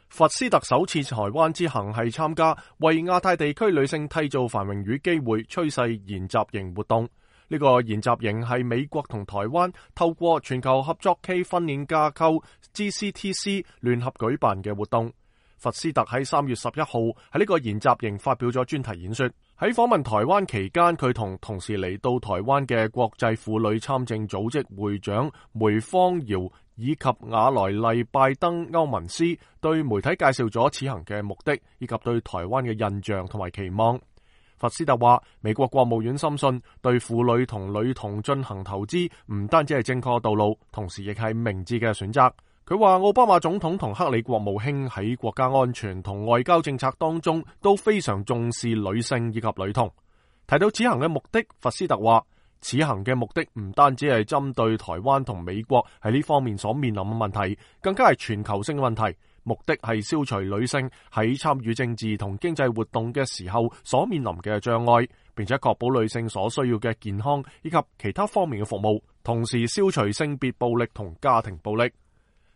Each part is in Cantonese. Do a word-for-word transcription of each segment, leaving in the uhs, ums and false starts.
佛斯特首次台灣之行係參加為亞太地區女性締造繁榮與機會趨勢研習營活動。呢個研習營係美國同台灣透過全球合作暨訓練架構 G C T C 聯合舉辦嘅活動。佛斯特喺三月十一號喺呢個研習營發表咗專題演說。喺訪問台灣期間，佢同同時嚟到台灣嘅國際婦女參政組織會長梅芳瑤以及瓦萊麗拜登歐文斯對媒體介紹咗此行嘅目的以及對台灣嘅印象同埋期望。佛斯特話，美國國務院深信對婦女同女童進行投資唔單止係正確道路，同時亦係明智嘅選擇。佢話奧巴馬總統同克里國務卿喺國家安全同外交政策當中都非常重視女性以及女童。提到此行嘅目的，佛斯特話，此行嘅目的唔單止係針對台灣同美國喺呢方面所面臨嘅問題，更加係全球性嘅問題。目的係消除女性喺參與政治同經濟活動嘅時候所面臨嘅障礙，並且確保女性所需要嘅健康以及其他方面嘅服務，同時消除性別暴力同家庭暴力。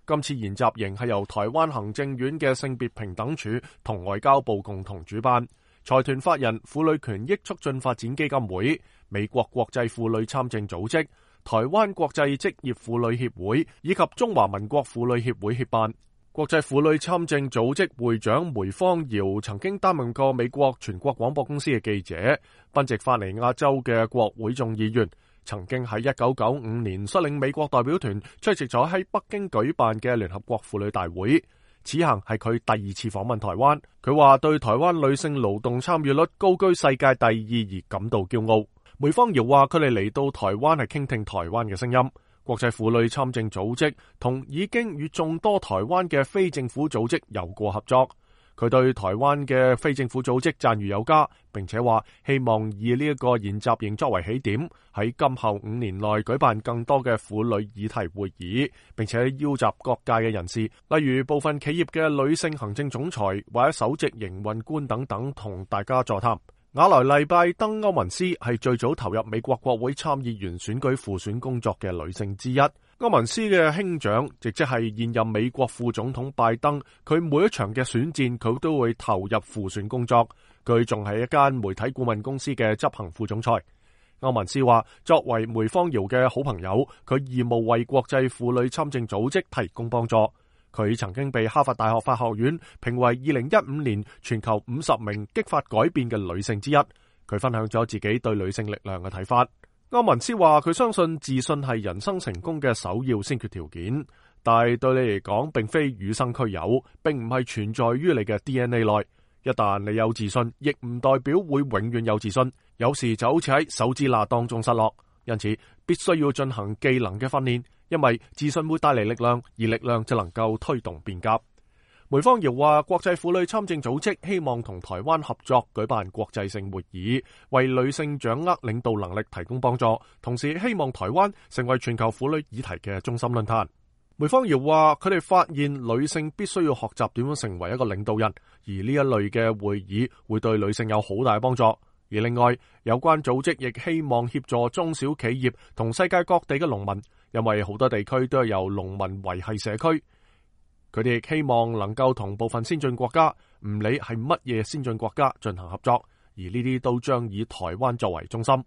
今次研習營係由台灣行政院嘅性別平等處同外交部共同主辦，財團法人婦女權益促進發展基金會、美國國際婦女參政組織、台灣國際職業婦女協會以及中華民國婦女協會協辦。國際婦女參政組織會長梅芳瑤曾經擔任過美國全國廣播公司嘅記者，賓夕法尼亞州嘅國會眾議員。曾經喺一九九五年率領美國代表團出席咗喺北京舉辦嘅聯合國婦女大會。此行係佢第二次訪問台灣。佢話對台灣女性勞動參與率高居世界第二而感到驕傲。梅芳瑤話佢哋嚟到台灣係傾聽台灣嘅聲音。國際婦女參政組織同已經與眾多台灣嘅非政府組織有過合作。佢對台灣嘅非政府組織讚譽有加，並且話希望以呢一個研習營作為起點，喺今後五年內舉辦更多嘅婦女議題會議，並且邀集各界嘅人士，例如部分企業嘅女性行政總裁或者首席營運官等等，同大家座談。瓦萊麗拜登歐文斯係最早投入美國國會參議員選舉輔選工作嘅女性之一。歐文斯嘅兄長，亦即係現任美國副總統拜登，佢每一場嘅選戰佢都會投入輔選工作。佢仲係一間媒體顧問公司嘅執行副總裁。歐文斯話，作為梅芳瑤嘅好朋友，佢義務為國際婦女參政組織提供幫助。佢曾經被哈佛大學法學院評為二零一五年全球五十名激發改變嘅女性之一。佢分享咗自己對女性力量嘅睇法。歐文斯話佢相信自信係人生成功嘅首要先決條件，但係對你嚟講並非與生俱有，並唔係存在於你嘅 D N A 內。一旦你有自信，亦唔代表會永遠有自信，有時就好似喺手指罅當中失落。因此必須要進行技能嘅訓練，因為自信會帶嚟力量，而力量就能夠推動變革。梅芳瑤話，國際婦女參政組織希望同台灣合作舉辦國際性會議，為女性掌握領導能力提供幫助，同時希望台灣成為全球婦女議題嘅中心論壇。梅芳瑤話，佢哋發現女性必須要學習點樣成為一個領導人，而呢一類嘅會議會對女性有好大嘅幫助。而另外，有關組織亦希望協助中小企業同世界各地嘅農民，因為好多地區都係由農民維繫社區。佢哋亦希望能夠同部分先進國家，唔理係乜嘢先進國家進行合作，而呢啲都將以台灣作為中心。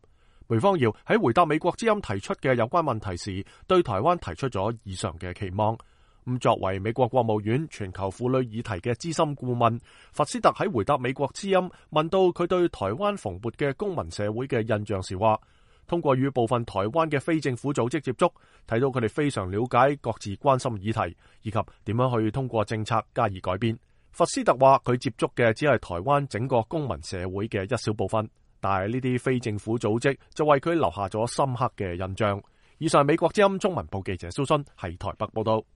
梅芳瑤喺回答美國之音提出嘅有關問題時，對台灣提出咗以上嘅期望。咁作為美國國務院全球婦女議題嘅資深顧問，佛斯特喺回答美國之音問到佢對台灣蓬勃嘅公民社會嘅印象時話，通過與部分台灣嘅非政府組織接觸，睇到佢哋非常了解各自關心議題，以及點樣去通過政策加以改變。佛斯特話佢接觸嘅只係台灣整個公民社會嘅一小部分，但係呢啲非政府組織就為佢留下咗深刻嘅印象。以上係美國之音中文部記者蘇信喺台北報道。